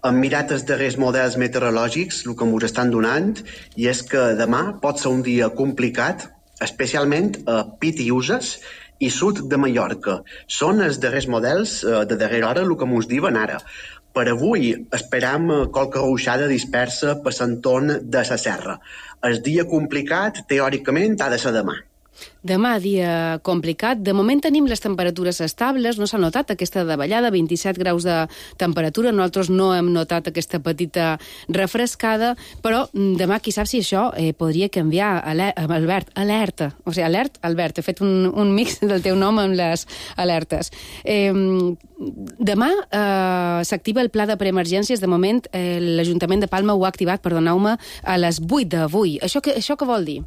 Hem mirat els darrers models meteorològics, el que ens estan donant, i és que demà pot ser un dia complicat, especialment a Pitiuses i sud de Mallorca. Són els darrers models de darrera hora, el que ens diuen ara. Per avui esperam qualque ruixada dispersa per l'entorn de la serra. El dia complicat, teòricament, ha de ser demà. Demà, dia complicat. De moment tenim les temperatures estables, no s'ha notat aquesta davallada, 27 graus de temperatura, nosaltres no hem notat aquesta petita refrescada, però demà qui sap si això podria canviar. Albert, alerta, o sigui, Albert, he fet un mix del teu nom amb les alertes. Demà s'activa el pla de preemergències, de moment l'Ajuntament de Palma ho ha activat, perdoneu-me, a les 8 d'avui. Això què vol dir?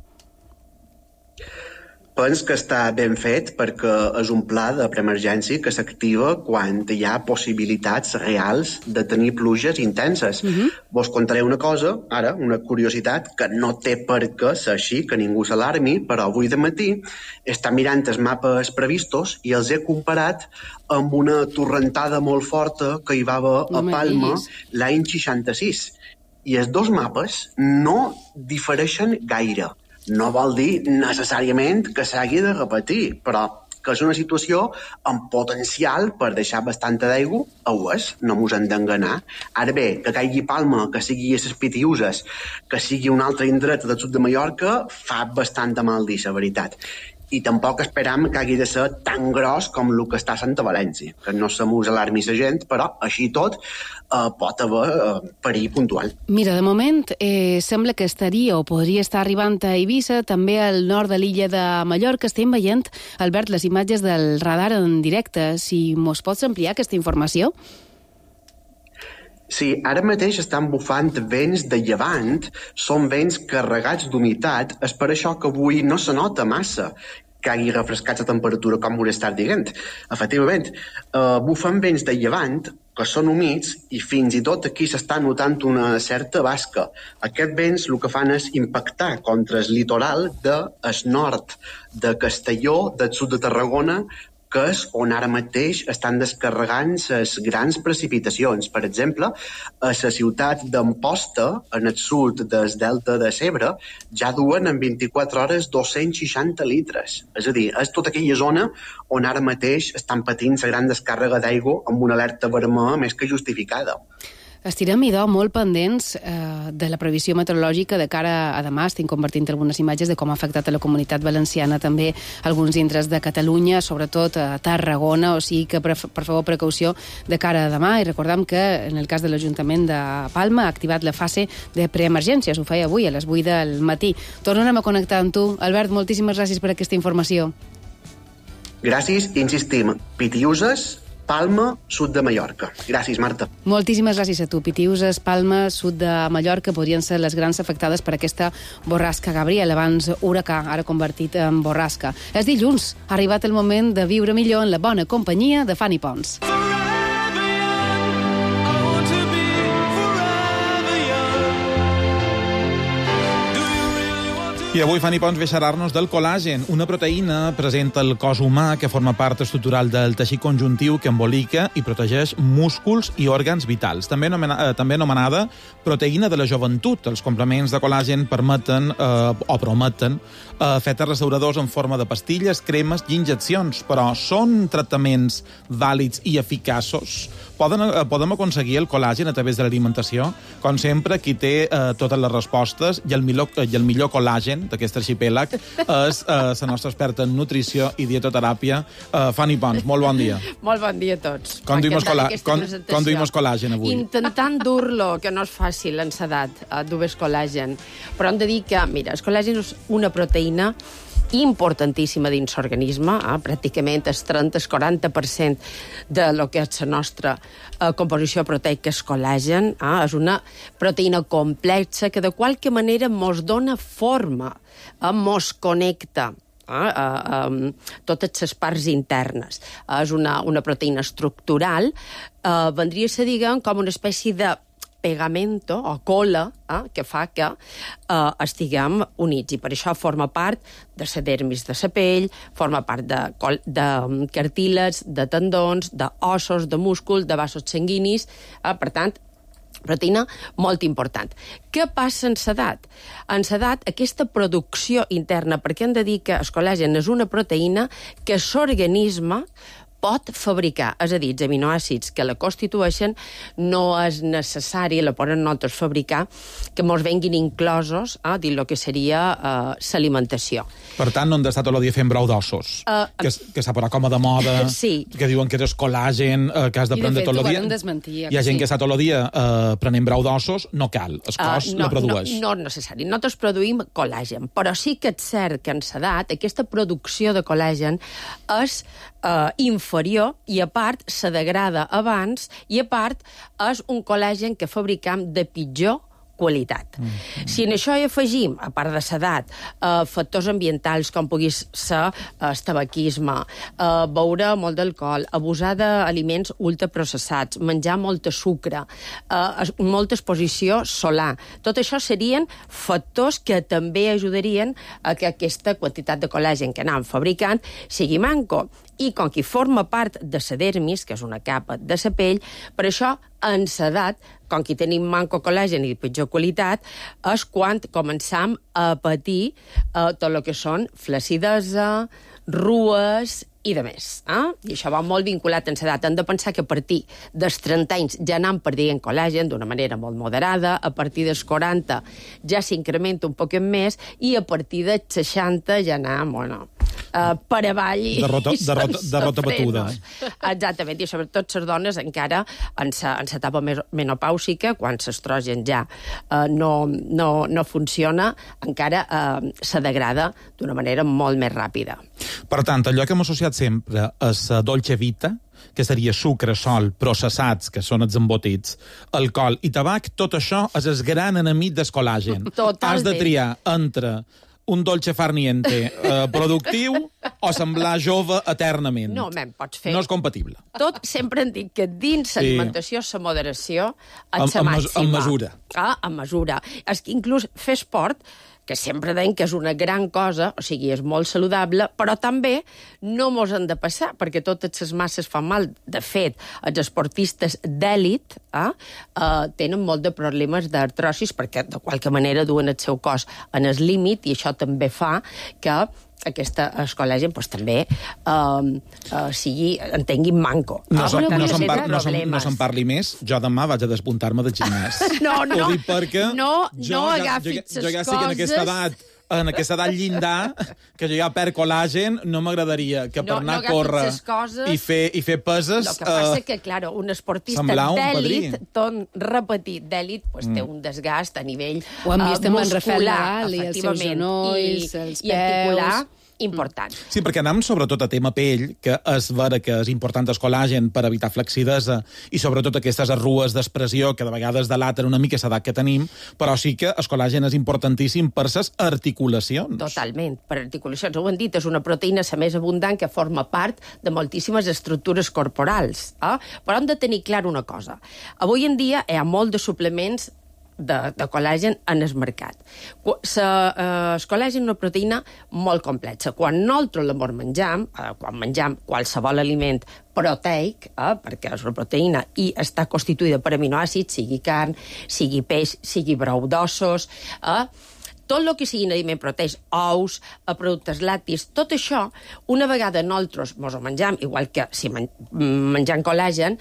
Penso que està ben fet perquè és un pla de preemergència que s'activa quan hi ha possibilitats reals de tenir pluges intenses. Vos contaré una cosa, ara, una curiositat, que no té per què ser així, que ningú s'alarmi, però avui de matí està mirant els mapes previstos i els he comparat amb una torrentada molt forta que hi va haver a Palma l'any 66. I els dos mapes no difereixen gaire. No vol dir necessàriament que s'hagi de repetir, però que és una situació amb potencial per deixar bastanta d'aigua, ho és, no mos hem d'enganar. Ara bé, que caigui Palma, que sigui a les Pitiuses, que sigui un altre indret del sud de Mallorca, fa bastant mal dir, la veritat. I tampoc esperam que hagi de ser tan gros com el que està a Santa València, que no se mos alarmi la gent, però així tot pot haver perill puntual. Mira, de moment sembla que estaria o podria estar arribant a Eivissa, també al nord de l'illa de Mallorca. Estem veient, Albert, les imatges del radar en directe. Si mos pots ampliar aquesta informació? Sí, ara mateix estan bufant vents de llevant, són vents carregats d'humitat, és per això que avui no se nota massa que hagi refrescat la temperatura, com ho estar dient. Efectivament, bufen vents de llevant, que són humits, i fins i tot aquí s'està notant una certa basca. Aquests vents el que fan és impactar contra el litoral del nord de Castelló, del sud de Tarragona, que és on ara mateix estan descarregant les grans precipitacions. Per exemple, a la ciutat d'Amposta, en el sud del delta de Segre, ja duen en 24 hores 260 litres. És a dir, és tota aquella zona on ara mateix estan patint la gran descàrrega d'aigua amb una alerta vermella més que justificada. Estirem, idò, molt pendents de la previsió meteorològica de cara a demà. Estic convertint algunes imatges de com ha afectat a la comunitat valenciana, també alguns indrets de Catalunya, sobretot a Tarragona, o sigui que, per favor, precaució de cara a demà. I recordem que, en el cas de l'Ajuntament de Palma, ha activat la fase de preemergències. Ho feia avui, a les 8 del matí. Tornarem a connectar amb tu. Albert, moltíssimes gràcies per aquesta informació. Gràcies, insistim. Pitiuses, Palma, sud de Mallorca. Gràcies, Marta. Moltíssimes gràcies a tu. Pitiuses, Palma, sud de Mallorca podrien ser les grans afectades per aquesta borrasca Gabriel, abans huracà, ara convertit en borrasca. És dilluns, ha arribat el moment de viure millor en la bona companyia de Fanny Pons. I avui Fanny Pons ve a xerrar-nos del col·làgen, una proteïna present al cos humà que forma part estructural del teixit conjuntiu que embolica i protegeix músculs i òrgans vitals. També anomenada proteïna de la joventut. Els complements de col·làgen permeten o prometen efectes restauradors en forma de pastilles, cremes i injeccions, però són tractaments vàlids i eficaços? Podem aconseguir el col·làgen a través de l'alimentació? Com sempre, qui té totes les respostes i el millor col·làgen d'aquest arxipèlag és la nostra experta en nutrició i dietoteràpia, Fanny Pons. Molt bon dia. Molt bon dia a tots. Com duim col·làgen avui? Intentant dur-lo, que no és fàcil en l'edat, dur el col·làgen. Però hem de dir que, mira, el col·làgen és una proteïna importantíssima dins l'organisme, pràcticament el 30-40% de lo que és la nostra composició proteica és col·làgen. És una proteïna complexa que de qualque manera mos dona forma, mos connecta totes les parts internes. És una proteïna estructural, vendria a ser, diguem, com una espècie de pegamento o cola que fa que estiguem units, i per això forma part de la dermis de la pell, forma part de cartílags, de tendons, d'ossos, de músculs, de vasos sanguinis. Per tant, proteïna molt important. Què passa en l'edat? En l'edat, aquesta producció interna, perquè hem de dir que el col·làgen és una proteïna que l'organisme pot fabricar, és a dir, els aminoàcids que la constitueixen no és necessari, la poden nosaltres fabricar, que mos venguin inclosos dins el que seria l'alimentació. Per tant, no hem d'estar tot el dia fent brou d'ossos, que s'ha posat com a de moda, sí. Que diuen que és col·làgen, que has de prendre tot el dia. Hi ha gent que està tot el dia prenent brou d'ossos, no cal, el cos la produeix. No és necessari, nosaltres produïm col·làgen, però sí que és cert que en l'edat aquesta producció de col·làgen és inferior i a part se degrada abans i a part és un col·làgen que fabricam de pitjor qualitat. Si en això hi afegim, a part de l'edat, factors ambientals com pugui ser el tabaquisme, beure molt d'alcohol, abusar d'aliments ultraprocessats, menjar molt sucre, molta exposició solar, tot això serien factors que també ajudarien a que aquesta quantitat de col·làgen que anem fabricant sigui manco. I com que forma part de la dermis, que és una capa de la pell, per això en l'edat, com que tenim manco col·làgen i de pitjor qualitat, és quan començam a patir tot el que són flaccidesa, rues i de més. I això va molt vinculat en l'edat. Hem de pensar que a partir dels 30 anys ja anem perdent col·làgen d'una manera molt moderada, a partir dels 40 ja s'incrementa un poc més i a partir dels 60 ja anem, per avall i derrota batuda. Exactament, i sobretot les dones encara en l'etapa menopàusica, quan l'estrogen ja no funciona, encara se degrada d'una manera molt més ràpida. Per tant, allò que hem associat sempre a la dolce vita, que seria sucre, sol, processats, que són els embotits, alcohol i tabac, tot això és el gran enemic del col·làgen. Totalment. Has de triar entre un dolce farniente productiu o semblar jove eternament. No, pots fer... No és compatible. Tot, sempre hem dit que dins l'alimentació, la moderació, és la màxima. En mesura. En mesura. És que inclús fer esport, que sempre deim que és una gran cosa, o sigui, és molt saludable, però també no mos han de passar, perquè totes les masses fan mal. De fet, els esportistes d'èlit tenen molt de problemes d'artrosis, perquè de qualque manera duen el seu cos en el límit, i això també fa que el col·làgen també entenguin manco. No se'n parli més. Jo demà vaig a despuntar-me del gimnàs. No Jo agafis les coses... ja estic en aquesta edat llindar, que jo ja perc col·làgen, no m'agradaria que per anar a córrer i fer peses... El que passa és que, clar, un esportista d'èlit, tot repetit d'èlit, té un desgast a nivell muscular, ho hem vist amb en Rafael Nadal i els seus genolls, els peus... important. Sí, perquè anem sobretot a tema pell, que és vera que és important el col·làgen per evitar flaccidesa i sobretot aquestes arrues d'expressió que de vegades delaten una mica l'edat que tenim, però sí que el col·làgen és importantíssim per les articulacions. Totalment, per articulacions. Ho hem dit, és una proteïna la més abundant que forma part de moltíssimes estructures corporals. Però hem de tenir clar una cosa. Avui en dia hi ha molt de suplements de col·làgen en el mercat. El col·làgen és una proteïna molt complexa. Quan nosaltres la menjam, quan menjam qualsevol aliment proteic, perquè és una proteïna i està constituïda per aminoàcids, sigui carn, sigui peix, sigui brou d'ossos, tot el que siguin aliment proteics, ous, productes lactis, tot això, una vegada nosaltres mos ho menjam, igual que si menjam col·làgen,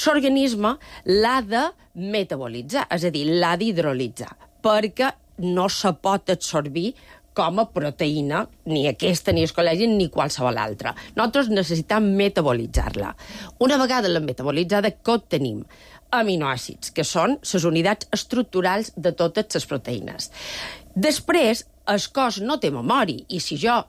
l'organisme l'ha de metabolitzar, és a dir, l'ha d'hidrolitzar, perquè no se pot absorbir com a proteïna, ni aquesta, ni el col·làgen, ni qualsevol altra. Nosaltres necessitem metabolitzar-la. Una vegada l'hem metabolitzada, què tenim? Aminoàcids, que són les unitats estructurals de totes les proteïnes. Després, el cos no té memòria, i si jo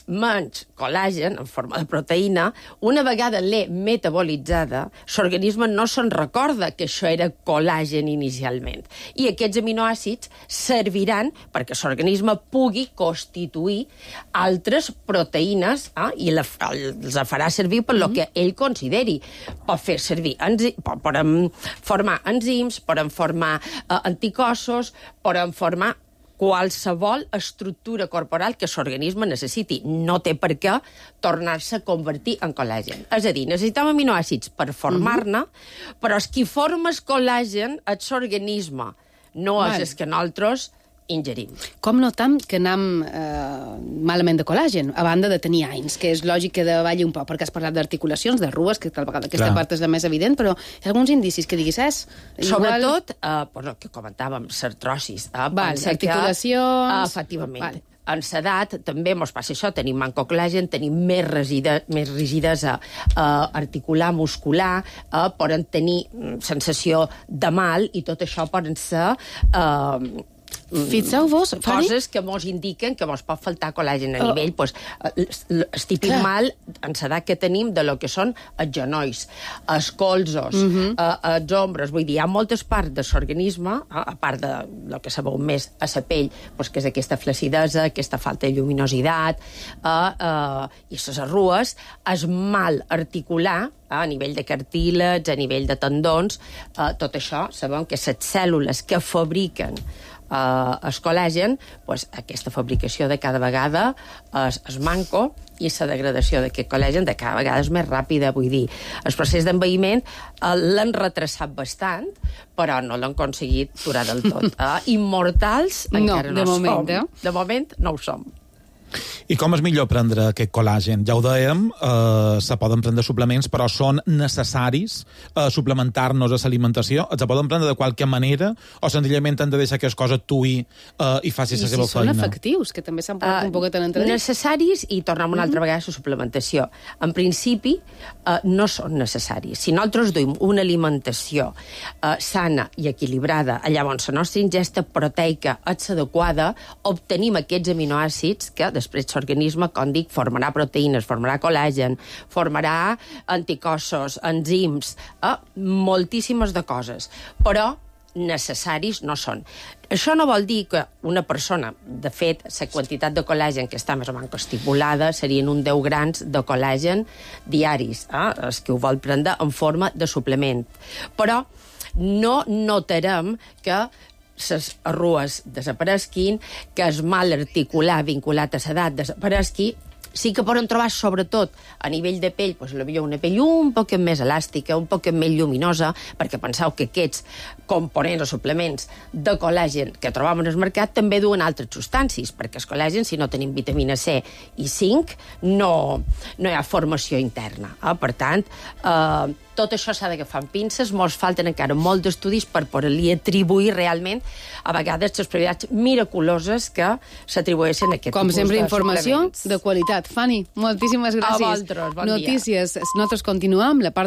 menys col·làgen en forma de proteïna, una vegada l'he metabolitzada, l'organisme no se'n recorda que això era col·làgen inicialment. I aquests aminoàcids serviran perquè l'organisme pugui constituir altres proteïnes i els farà servir per lo que ell consideri. Pot fer servir, poden formar enzims, poden formar anticossos, poden formar qualsevol estructura corporal que l'organisme necessiti. No té per què tornar-se a convertir en col·làgen. És a dir, necessitem aminoàcids per formar-ne, però el que forma el col·làgen és l'organisme, no és el que nosaltres ingerim. Com notam que anem malament de col·làgen, a banda de tenir anys, que és lògic que davalli un poc, perquè has parlat d'articulacions, de rues, que tal vegada aquesta part és la més evident, però hi ha alguns indicis que diguis, Sobretot, que comentàvem, l'artrosis. Articulacions... Efectivament. En l'edat també ens passa això, tenim manco col·làgen, tenim més rigidesa articular, muscular, poden tenir sensació de mal i tot això poden ser... Fixeu-vos, coses que mos indiquen que mos pot faltar col·làgen a nivell, el típic mal en l'edat que tenim de lo que són els genolls, els colzos, els ombres, vull dir, hi ha moltes parts de l'organisme, a part de lo que sabeu més a la pell, que és aquesta flaccidesa, aquesta falta de lluminositat, i les arrues, és mal articular, a nivell de cartílags, a nivell de tendons, tot això sabem que les cèl·lules que fabriquen el col·làgen, doncs, aquesta fabricació de cada vegada es manco i la degradació d'aquest col·làgen de cada vegada és més ràpida. Vull dir, el procés d'envelliment l'han retrasat bastant, però no l'han aconseguit durar del tot. Immortals encara no som. De moment no ho som. I com és millor prendre aquest col·làgen? Ja ho dèiem, se poden prendre suplements, però són necessaris suplementar-nos a l'alimentació? Se poden prendre de qualque manera o senzillament hem de deixar que les coses actuï i faci la seva feina? I si són efectius, que també s'han posat un poquet en entredit. Necessaris, i tornem una altra vegada a la suplementació. En principi, no són necessaris. Si nosaltres duim una alimentació sana i equilibrada, llavors la nostra ingesta proteica és adequada, obtenim aquests aminoàcids que després l'organisme, com dic, formarà proteïnes, formarà col·làgen, formarà anticossos, enzims, moltíssimes de coses. Però necessaris no són. Això no vol dir que una persona, de fet, la quantitat de col·làgen que està més o menys estipulada serien uns 10 grans de col·làgen diaris, els que ho vol prendre en forma de suplement. Però no notarem que les arrues desaparesquin, que el mal articular vinculat a l'edat desaparesqui. Sí que poden trobar, sobretot, a nivell de pell, doncs, potser una pell un poc més elàstica, un poc més lluminosa, perquè penseu que aquests components o suplements de col·làgen que trobem en el mercat també duen altres substàncies, perquè el col·làgen, si no tenim vitamina C i zinc, no hi ha formació interna. Per tant, tot això s'ha d'agafar amb pinces, molts falten encara molts d'estudis per poder-li atribuir realment a vegades les propietats miraculoses que s'atribueixen a aquest Com tipus sempre, de informació suplements. de qualitat. Fanny, moltíssimes gràcies. A vosaltres, bon dia. Notícies. Nosaltres continuem la part